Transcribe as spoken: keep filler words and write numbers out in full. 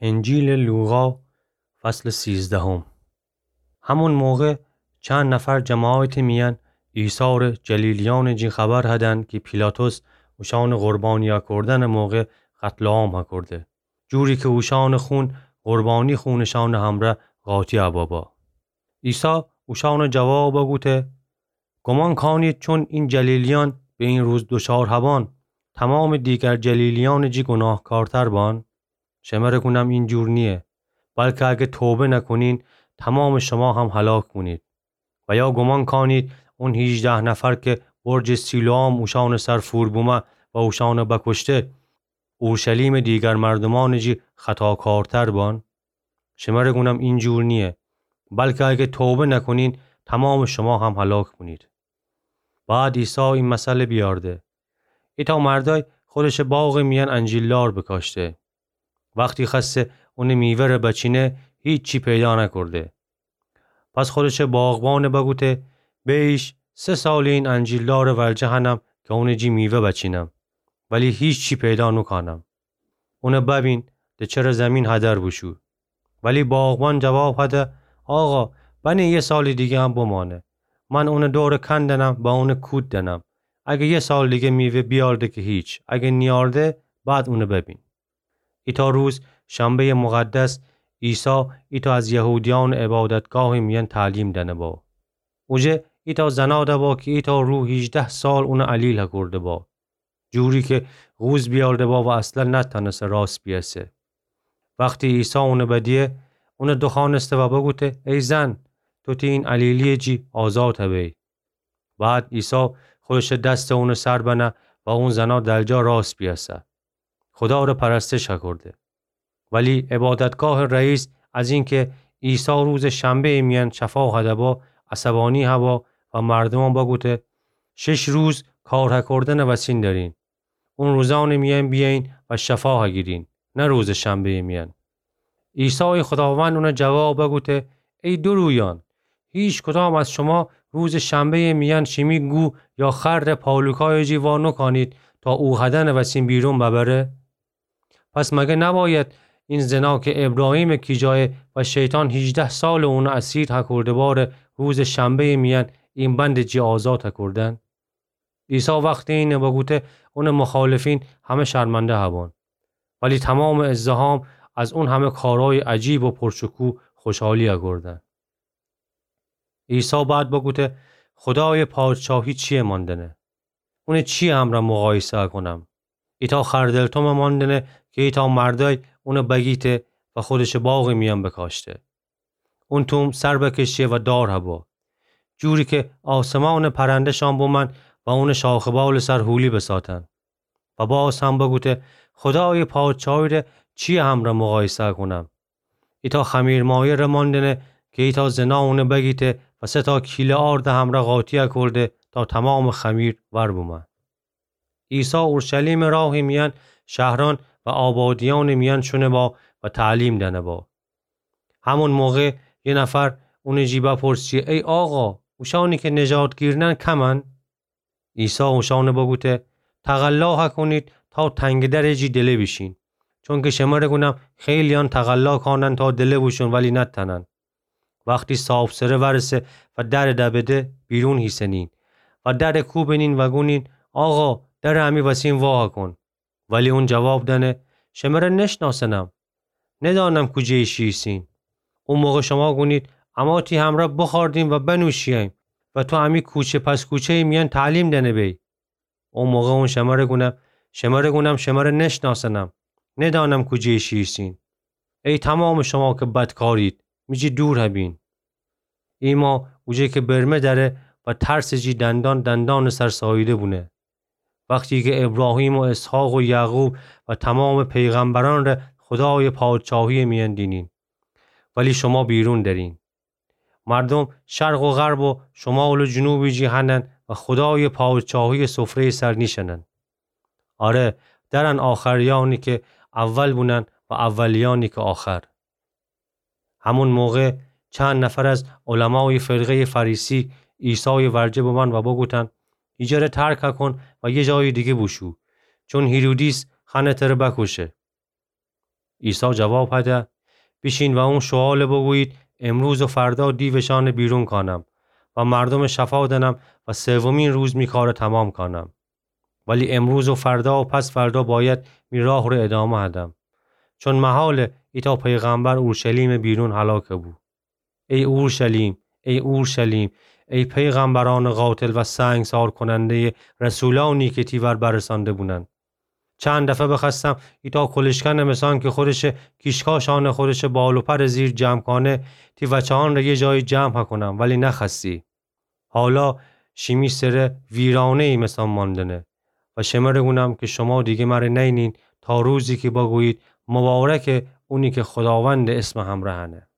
انجیلٚ لوقا، فصلٚ سیزدهم. همون موقع چند نفر جماعتٚ میأن عیسی ره جلیلیأنٚ جی خبر هدن کی پیلاطس اوشأنٚ قربانی هکردنٚ موقع قتل‌عام هکرده، جوری کی اوشأنٚ خون قربانی خونٚ شأنٚ همرأ قاطی هبابا. عیسی اوشأنٚ جواب بوگوته: گمان کانید چون این جلیلیأن به این روز دوچار هبان، تمامٚ دیگر جلیلیأنٚ جی گناهکارتر بان؟ شمره گونم این جور نییه، بلکه اگه توبه نکنین، تمامٚ شما هم هلاک بونید. و یا گمان کانید اون هیجده نفر کی برجٚ سیلوام اوشأنٚ سر فور بومه و اوشأنٚ بکشته، اورشلیمٚ دیگر مردومأنٚ جی خطاکارتر بان؟ شمره گونم این جور نییه، بلکه اگه توبه نکنین، تمامٚ شما هم هلاک بونید. بعد عیسی این مثل بیارده: ایتأ مردأی خودشٚ باغٚ میأن انجیلدار بکاشته. وختی خوأسته اونٚ میوه ره بچینه، هیچی پیدا نکرده. پس خودشٚ باغبان بوگوته: بیش، سه سالی این انجیلدارٚ ورجه هنم کی اونٚ جی میوه بچینم، ولی هیچی پیدا نوکانم. اون ببین، ده چره زیمین هدر بوشو. ولی باغبان جواب هده: آقا، بنه یه سالٚ دیگه هم بمانه. من اونٚ دور کندنم و اون کود دنم. اگه یه سالٚ دیگه میوه بیارده که هیچ، اگه نیارده، بعد اون ببین. ایتأ روز، شنبه‌یٚ مقدس، عیسی ایتأ از یهودیأنٚ عبادتگاهٚ میأن تعلیم دنه با. اوجه ایتأ زنا دبا کی ایتأ روح هیجده سال اون علیل هکرده با، جوری کی قوز بیارده با و اصلا نتأنسه راست بیأسه. وختی عیسی اون بدیه، اون دوخوأنسته و بوگوته: ای زن، تو تی این علیلیٚ جی آزاد هبی. بعد عیسی خودشٚ دستٚ اونٚ سر بنه و اون زنا درجا راست بیأسه. خودا ره پرستش هکرده. ولی عبادتگاهٚ رئیس از اینکه عیسی روزٚ شنبه‌یٚ میأن شفا هده با، عصبانی هوا و مردومأن بوگوته: شش روز کار هکردنٚ وسین دأرین. اون روزأنٚ میأن بیأیین و شفا هگیرین، نه روزٚ شنبه‌یٚ میأن. عیسایٚ خوداوند اون جواب بوگوته: ای دورویأن! هیکدام از شما روزٚ شنبه‌یٚ میأن شیمی گو یا خر ره پالوکایٚ جی وا نوکانید تا او هدنٚ وسین بیرون ببره؟ پس مگه نباید این زنا کی ابراهیمٚ کیجایه و شیطان هیجده سال اون اسیر هکرده باره، روزٚ شنبه‌یٚ میأن این بندٚ جی آزاد هکردن؟ عیسی وختی اینه بوگوته، اونٚ مخالفین همه شرمنده هبان. ولی تومامٚ ازدحام از اون همه کارأیٚ عجیب و پرشکوه خوشحالی هکردن. عیسی بعد بوگوته، خودایٚ پادشاهی چییه ماندنه؟ اون چییٚ همرأ مقایسه هکونم؟ ایتأ خردل تومه ماندنه کی ایتأ مردأی اون بگیته و خودشٚ باغٚ میأن بکاشته. اون توم سر بکشه و دار هبا، جوری کی آسمانٚ پرنده‌شان بومأن و اونٚ شاخ و بالٚ سر حولی بساتن. و باز هم بوگوته، خودایٚ پادشاهی ره چییٚ همرأ مقایسه کونم؟ ایتأ خمیرمایه ره ماندنه کی ایتأ زنا اون بگیته و سه‌تا کیله آرد همرأ قاطی هکرده تا تومامٚ خمیر ور بومأن. عیسی اورشلیمٚ راهٚ میأن شهرأن و آبادیأنٚ میأن شونه با و تعلیم دأنه با. همون موقع یه نفر اونٚ جی بپرسه، ای آقا، اوشأنی کی نژاد گیرنن کمن؟ عیسی اوشأن بوگوته، تقلا هکونید تا تنگٚ درٚ جی دله بیشین، چونکی شمره گونم خیلیأن تقلا کانن تا دله بوشون ولی نتأنن. وختی صاحبسره ورسه و درٚ دبده، بیرون هیسنین و درٚ کوبنین و گونین، آقا، درٚ امی وسین وا هکون. ولی اون جواب دأنه، شمره نشناسنم، ندأنم کوجه‌ییشی ایسین. او موقع شما گونید، اما تی همرأ بخوردیم و بنوشییم و تو امی کوچه پس کوچه‌یٚ میأن تعلیم دأنه بی. او موقع اون شمره گونه، شمره گونم شمره نشناسنم، ندأنم کوجه‌ییشی ایسین. ای تومامٚ شما کی بدکارید، می جی دور هبین. ایما اوجه کی برمه دأره و ترسٚ جی دندان دندانٚ سر ساییده بونه. وختی کی ابراهیم و اسحاق و یعقوب و تومامٚ پیغمبرأن ره خودایٚ پادشاهیٚ میأن دینین، ولی شما بیرون درین. مردوم شرق و غرب و شمال و جنوبٚ جی هنن و خودایٚ پادشاهیٚ سفره‌یٚ سر نیشأنن. آره، درن آخریأنی کی اول بونن و اولیأنی کی آخر. همون موقع چند نفر از علمایٚ فرقه‌یٚ فریسی عیسایٚ ورجه بمأن و بوگوتن، ایجره ترک هکون و یه جایٚ دیگه بوشو، چون هیرودیس خوأنه تره بکوشه. عیسی جواب هده: بیشین و اون شوهاله بگویید: امروز و فردا دیوشانه بیرون کانم و مردومه شفا دنم و سومین روز می کاره تمام کانم. ولی امروز و فردا و پس فردا باید می راه ره ادامه هدم، چون محاله ایتا پیغمبر اورشلیمه بیرون هلاکه بو. ای اورشلیم، ای اورشلیم، ای پیغمبرانه قاتل و سنگسار کنندهٔ رسولانی که تی ور برسانده بونن! چند دفعه بخوأستم ایتا کلشکنه مثان که خودشه کیشکاشانه خودشه بال و پر زیر جمع کانه، تی وچه‌ان ره یه جایی جمع هکنم، ولی نخوأستی. حالا شیمی سره ویرانه‌ای مثان ماندنه. و شمره گونم که شما دیگه مره نینین تا روزی که بگویید: مبارکه اونی که خداوند اسم همره هنه.